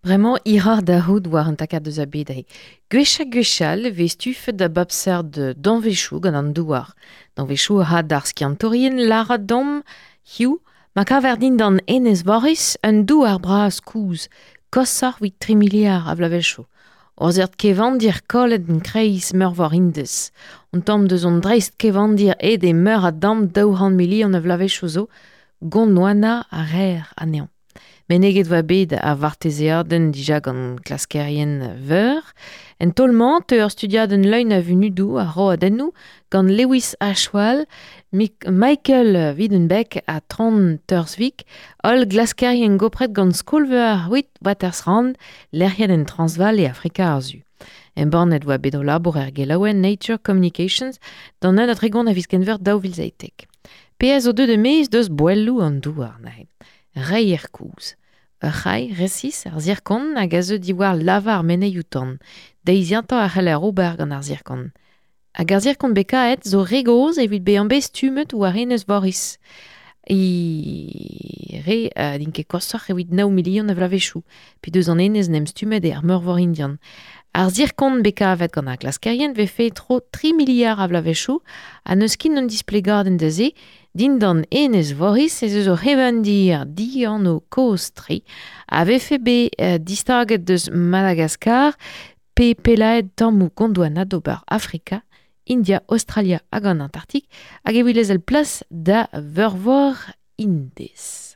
Bremañ hiroc'h da c'hoût war an takad eus ar bed aze. Gwech ha gwechall e vez stufet da bep seurt danvezioù gant an douar. Danvezioù a ra d'ar skiantourien lâret deomp hiziv ma kaver dindan Enez Voris un douar bras kozh, koshoc'h evit tri miliard a vloavezhioù. Ur seurt kevandir kollet en kreiz meurvor Indez. Un tamm deus an dreist-kevandir aet e meur a damm 200 milion a vloavezhioù zo, Gondwana a reer anezhañ. Meneget oa bet ar vartezeadenn dija gant klaskerien veur. En taol-mañ teu ur studiadenn leun a vunudoù ha roadennoù gant Lewis Ashwal, Michael Wiedenbeck ha Trond Tørsvik, holl glaskerien gopret gant skol-veur Witwatersrand, lec'hiet en Transvaal e Afrika ar Su. Embannet oa bet o labour er gelaouenn Nature Communications d'an 31 a viz Genver 2017. Pezh a zo deuet e-maez deus boelloù an douar neuze. Reier kozh. Ur c'hailh resis, ar zirkon, hag a zeu diwar lava ar meneioù-tan. Deiziatañ a c'heller ober gant ar zirkon. Hag ar zirkon bekaet zo re gozh evit bezañ bet stummet war enez Voris. E re n'int ket koshoc'h evit nav milion a vloavezhioù, pe deus an enez 'n em stummet eo ar Meurvor Indian. Ar zirkon bet kavet gant ar glaskerien 'vefe tro tri miliard a vloavezhioù ha n'eus ket un displegadenn da se Dindan enez Voris ez eus ur c'hevandir dianv kozh-tre a vefe bet distaget eus Madagaskar pe pellaet tammoù Gondwana d'ober Afrika, India, Aostralia hag an Antarktik hag evit lezel plas da veurvor Indez.